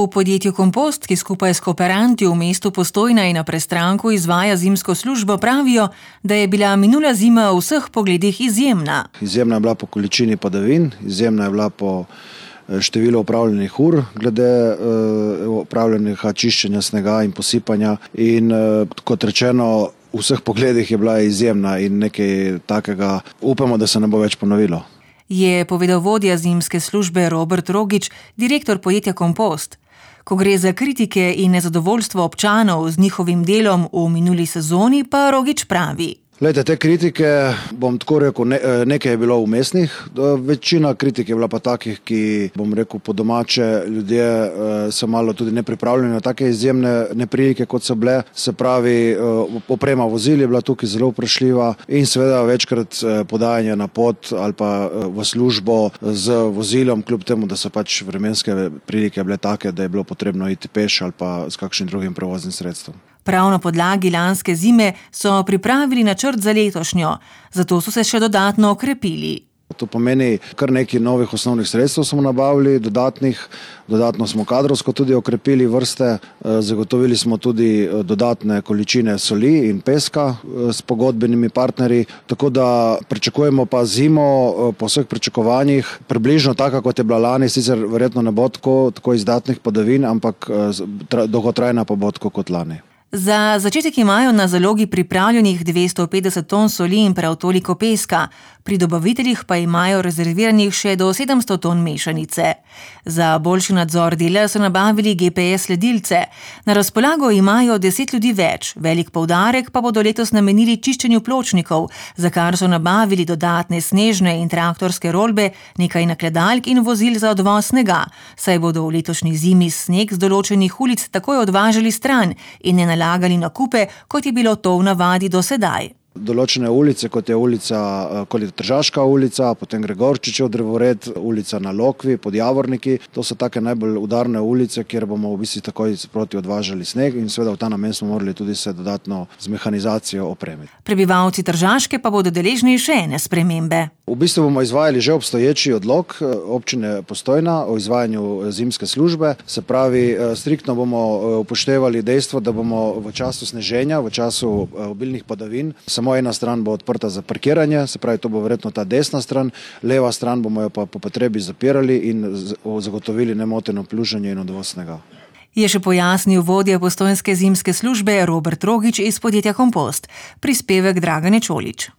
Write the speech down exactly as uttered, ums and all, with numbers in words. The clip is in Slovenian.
V podjetju Kompost, ki skupaj s kooperanti v mestu Postojna in na Prestranku izvaja zimsko službo, pravijo, da je bila minula zima v vseh pogledih izjemna. Izjemna je bila po količini padavin, izjemna je bila po številu opravljenih ur, glede opravljenega čiščenja snega in posipanja. In kot rečeno, v vseh pogledih je bila izjemna in nekaj takega upamo, da se ne bo več ponovilo. Je povedal vodja zimske službe Robert Rogič, direktor podjetja Kompost. Ko gre za kritike in nezadovoljstvo občanov z njihovim delom v minuli sezoni, pa Rogič pravi. Glejte, te kritike, bom tako rekel, ne, nekaj je bilo umestnih, večina kritik je bila pa takih, ki, bom rekel, po domače ljudje so malo tudi nepripravljeni na take izjemne neprilike, kot so bile. Se pravi, oprema vozil je bila tukaj zelo vprašljiva in seveda večkrat podajanje na pot ali pa v službo z vozilom, kljub temu, da so pač vremenske prilike bile take, da je bilo potrebno iti peš ali pa s kakšnim drugim prevoznim sredstvom. Prav na podlagi lanske zime so pripravili načrt za letošnjo, zato so se še dodatno okrepili. To pomeni, kar nekaj novih osnovnih sredstev smo nabavili, dodatnih, dodatno smo kadrovsko tudi okrepili vrste, zagotovili smo tudi dodatne količine soli in peska s pogodbenimi partnerji, tako da pričakujemo pa zimo po vseh pričakovanjih, približno taka, kot je bila lani, sicer verjetno ne bo tako, tako izdatnih padavin, ampak dolgotrajna pa bo tako kot lani. Za začetek imajo na zalogi pripravljenih dvesto petdeset ton soli in prav toliko peska, pri dobaviteljih pa imajo rezerviranih še do sedemsto ton mešanice. Za boljši nadzor dela so nabavili G P S sledilce. Na razpolago imajo deset ljudi več, velik poudarek pa bodo letos namenili čiščenju pločnikov, za kar so nabavili dodatne snežne in traktorske rolbe, nekaj nakladalk in vozil za odvoz snega, saj bodo v letošnji zimi sneg z določenih ulic takoj odvažali stran in ne nalagali nakupe, kot je bilo to v navadi do sedaj. Določene ulice, kot je ulica, kot je Tržaška ulica, potem Gregorčičev drevored, ulica na Lokvi, pod Javorniki, to so take najbolj udarne ulice, kjer bomo v bistvu takoj sproti odvažali sneg in seveda v ta namen smo morali tudi se dodatno z mehanizacijo opremiti. Prebivalci Tržaške pa bodo deležni še ene spremembe. V bistvu bomo izvajali že obstoječi odlok občine Postojna o izvajanju zimske službe, se pravi, striktno bomo upoštevali dejstvo, da bomo v času sneženja, v času obilnih padavin, samo ena stran bo odprta za parkiranje, se pravi, to bo verjetno ta desna stran, leva stran bomo jo pa po potrebi zapirali in zagotovili nemoteno pluženje in odvoz snega. Je še pojasnil vodja postojnske zimske službe Robert Rogič iz podjetja Kompost. Prispevek Dragane Čolič.